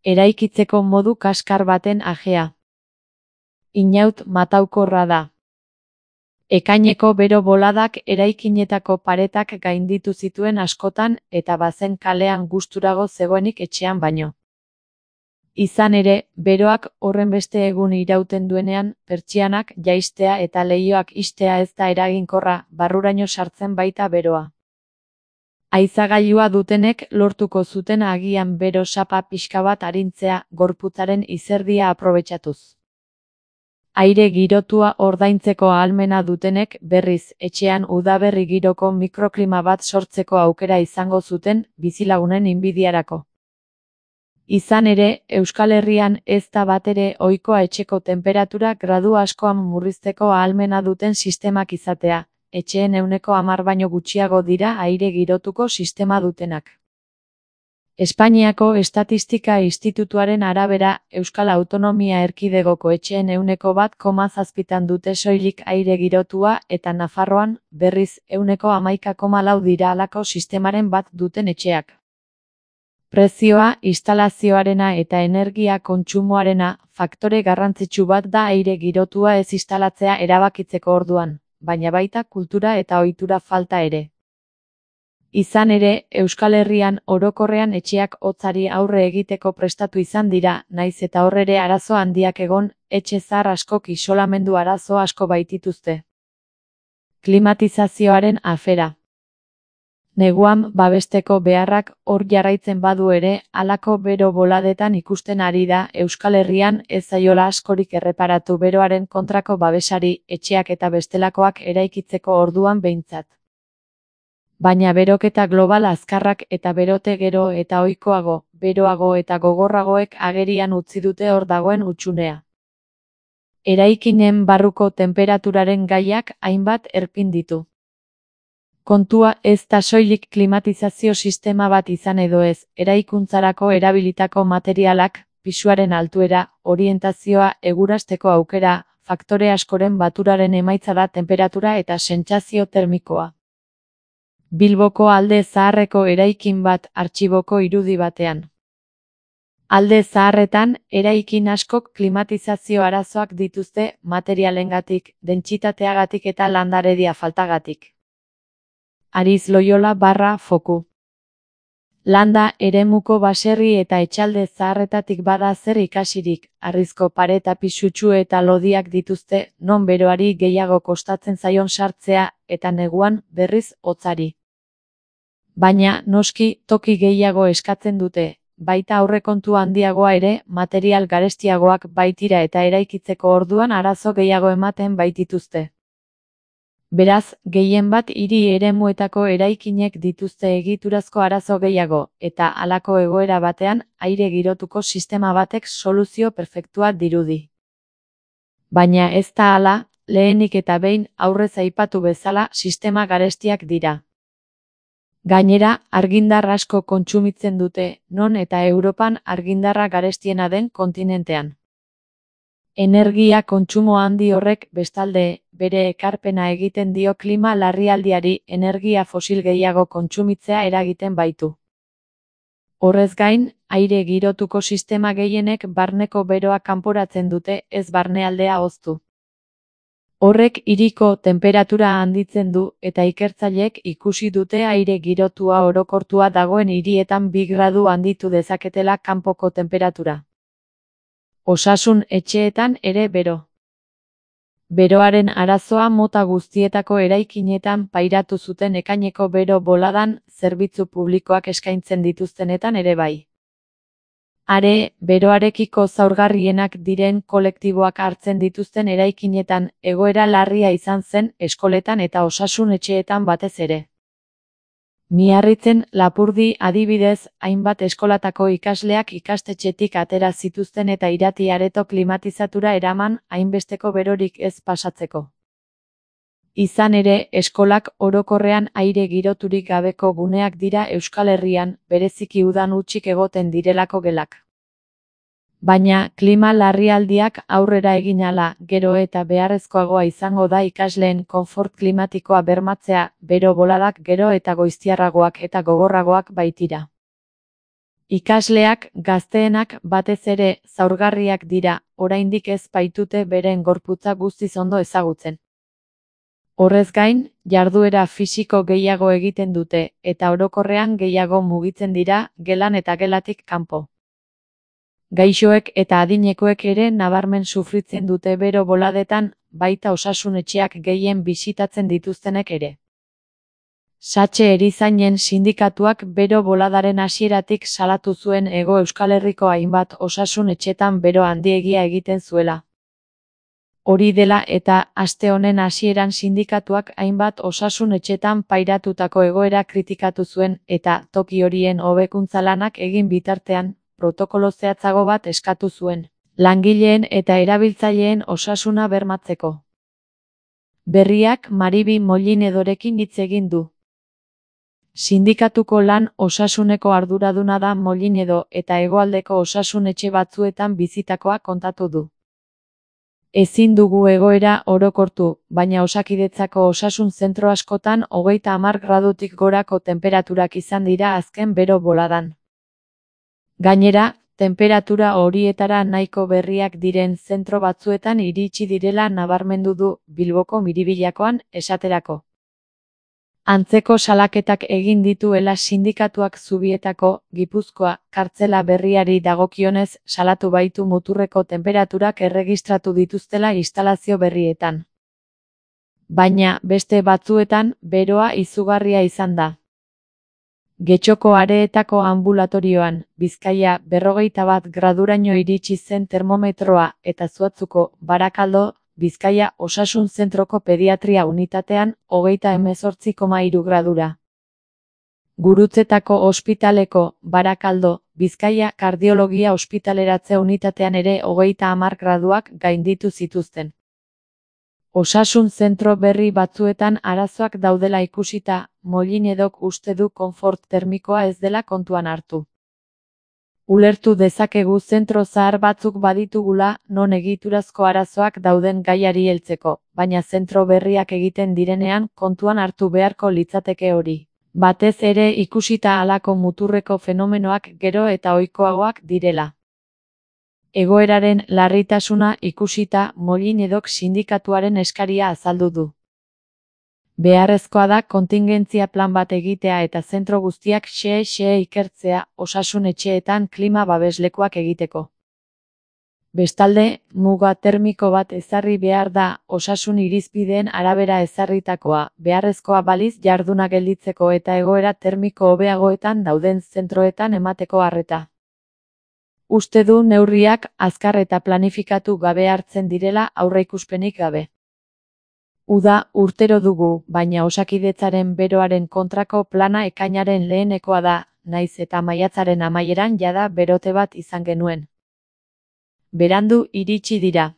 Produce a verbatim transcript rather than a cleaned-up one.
Eraikitzeko modu kaskar baten ajea. Inaut mataukorra da. Ekaineko bero boladak eraikinetako paretak gainditu zituen askotan eta bazen kalean gusturago zegoenik etxean baino. Izan ere, beroak horrenbeste egun irauten duenean, pertsianak jaistea eta leihoak ixtea ez da eraginkorra, barruraino sartzen baita beroa. Haizagailua dutenek lortuko zuten agian bero sapa pixka bat arintzea, gorputzaren izerdia aprobetxatuz. Aire girotua ordaintzeko ahalmena dutenek, berriz, etxean udaberri giroko mikroklima bat sortzeko aukera izango zuten, bizilagunen inbidiarako. Izan ere, Euskal Herrian ez da batere ohikoa etxeko temperatura gradu askoan murrizteko ahalmena duten sistemak izatea, etxeen ehuneko hamar baino gutxiago dira aire girotuko sistema dutenak. Espainiako Estatistika Institutuaren arabera, Euskal Autonomia Erkidegoko etxeen ehuneko bat koma zazpitan dute soilik aire girotua eta Nafarroan, berriz, ehuneko hamaika koma lau dira halako sistemaren bat duten etxeak. Prezioa, instalazioarena eta energia kontsumoarena, faktore garrantzitsu bat da aire girotua ez instalatzea erabakitzeko orduan, baina baita kultura eta ohitura falta ere. Izan ere, Euskal Herrian orokorrean etxeak hotzari aurre egiteko prestatu izan dira, naiz eta hor ere arazo handiak egon, etxe zahar askok isolamendu arazo asko baitituzte. Klimatizazioaren afera. Neguan babesteko beharrak hor jarraitzen badu ere, halako bero boladetan ikusten ari da Euskal Herrian ez zaiola askorik erreparatu beroaren kontrako babesari, etxeak eta bestelakoak eraikitzeko orduan behintzat. Baina beroketa global azkarrak eta berote gero eta ohikoago, beroago eta gogorragoek agerian utzi dute hor dagoen hutsunea. Eraikinen barruko temperaturaren gaiak hainbat erpin ditu. Kontua ez da soilik klimatizazio sistema bat izan edo ez, eraikuntzarako erabilitako materialak, pisuaren altuera, orientazioa, egurasteko aukera, faktore askoren baturaren emaitza da temperatura eta sentsazio termikoa. Bilboko Alde Zaharreko eraikin bat artxiboko irudi batean. Alde Zaharretan, eraikin askok klimatizazio arazoak dituzte materialengatik, dentsitateagatik eta landaredia faltagatik. Ariz Loyola barra foku. Landa eremuko baserri eta etxalde zaharretatik bada zer ikasirik, harrizko pareta pisutsu eta lodiak dituzte, non beroari gehiago kostatzen zaion sartzea, eta neguan, berriz, hotzari. Baina, noski, toki gehiago eskatzen dute, baita aurrekontu handiagoa ere, material garestiagoak baitira eta eraikitzeko orduan arazo gehiago ematen baitituzte. Beraz, gehien bat hiri eremuetako eraikinek dituzte egiturazko arazo gehiago, eta halako egoera batean, aire girotuko sistema batek soluzio perfektua dirudi. Baina ez da hala, lehenik eta behin aurrez aipatu bezala sistema garestiak dira. Gainera, argindar asko kontsumitzen dute, non eta Europan argindarra garestiena den kontinentean. Energia kontsumo handi horrek, bestalde, bere ekarpena egiten dio klima larrialdiari energia fosil gehiago kontsumitzea eragiten baitu. Horrez gain, aire girotuko sistema gehienek barneko beroa kanporatzen dute, ez barnealdea hoztu. Horrek hiriko temperatura handitzen du eta ikertzaileek ikusi dute aire girotua orokortua dagoen hirietan bi gradu handitu dezaketela kanpoko temperatura. Osasun etxeetan ere bero. Beroaren arazoa mota guztietako eraikinetan pairatu zuten ekaineko bero boladan, zerbitzu publikoak eskaintzen dituztenetan ere bai. Are, beroarekiko zaurgarrienak diren kolektiboak hartzen dituzten eraikinetan, egoera larria izan zen eskoletan eta osasun etxeetan batez ere. Miarritzen, Lapurdi adibidez, hainbat eskolatako ikasleak ikastetxetik atera zituzten eta irati areto klimatizatura eraman, hainbesteko berorik ez pasatzeko. Izan ere, eskolak orokorrean aire giroturik gabeko guneak dira Euskal Herrian, bereziki udan hutsik egoten direlako gelak. Baina, klima larrialdiak aurrera egin ahala, gero eta beharrezkoagoa izango da ikasleen konfort klimatikoa bermatzea, bero boladak gero eta goiztiarragoak eta gogorragoak baitira. Ikasleak, gazteenak batez ere, zaurgarriak dira, oraindik ez baitute beren gorputza guztiz ondo ezagutzen. Horrez gain, jarduera fisiko gehiago egiten dute, eta orokorrean gehiago mugitzen dira, gelan eta gelatik kanpo. Gaixoek eta adinekoek ere nabarmen sufritzen dute bero boladetan, baita osasun etxeak gehien bisitatzen dituztenek ere. Satxe erizainen sindikatuak bero boladaren hasieratik salatu zuen Hego Euskal Herriko hainbat osasun etxetan bero handiegia egiten zuela. Hori dela eta, aste honen hasieran sindikatuak hainbat osasun etxetan pairatutako egoera kritikatu zuen eta toki horien hobekuntza lanak egin bitartean, protokolo zehatzago bat eskatu zuen, langileen eta erabiltzaileen osasuna bermatzeko. Berriak Maribi Mollinedorekin hitz egin du. Sindikatuko lan osasuneko arduraduna da Mollinedo eta hegoaldeko osasun etxe batzuetan bizitakoa kontatu du. Ezin dugu egoera orokortu, baina Osakidetzako osasun zentro askotan hogeita hamar gradutik gorako tenperaturak izan dira azken bero boladan. Gainera, tenperatura horietara nahiko berriak diren zentro batzuetan iritsi direla nabarmendu du Bilboko Miribilakoan, esaterako. Antzeko salaketak egin dituela sindikatuak Zubietako, Gipuzkoa, kartzela berriari dagokionez salatu baitu muturreko tenperaturak erregistratu dituztela instalazio berrietan. Baina, beste batzuetan, beroa izugarria izan da. Getxoko Areetako anbulatorioan, Bizkaia, berrogeita bat graduraino iritsi zen termometroa eta Zuatzuko, Barakaldo, Bizkaia osasun zentroko pediatria unitatean, hogeita hemezortzi koma hiru gradura. Gurutzetako ospitaleko, Barakaldo, Bizkaia kardiologia ospitaleratze unitatean ere hogeita hamar graduak gainditu zituzten. Osasun zentro berri batzuetan arazoak daudela ikusita, Mollinedok uste du konfort termikoa ez dela kontuan hartu. Ulertu dezakegu zentro zahar batzuk baditugula, non egiturazko arazoak dauden gaiari heltzeko, baina zentro berriak egiten direnean kontuan hartu beharko litzateke hori. Batez ere ikusita halako muturreko fenomenoak gero eta ohikoagoak direla. Egoeraren larritasuna ikusita Mollinedok sindikatuaren eskaria azaldu du. Beharrezkoa da kontingentzia plan bat egitea eta zentro guztiak xe-xe ikertzea osasun etxeetan klima babeslekuak egiteko. Bestalde, muga termiko bat ezarri behar da osasun irizpideen arabera ezarritakoa, beharrezkoa baliz jarduna gelditzeko eta egoera termiko hobeagoetan dauden zentroetan emateko arreta. Uste du neurriak azkar eta planifikatu gabe hartzen direla aurreikuspenik gabe. Uda urtero dugu, baina Osakidetzaren beroaren kontrako plana ekainaren lehenekoa da, nahiz eta maiatzaren amaieran jada berote bat izan genuen. Berandu iritsi dira.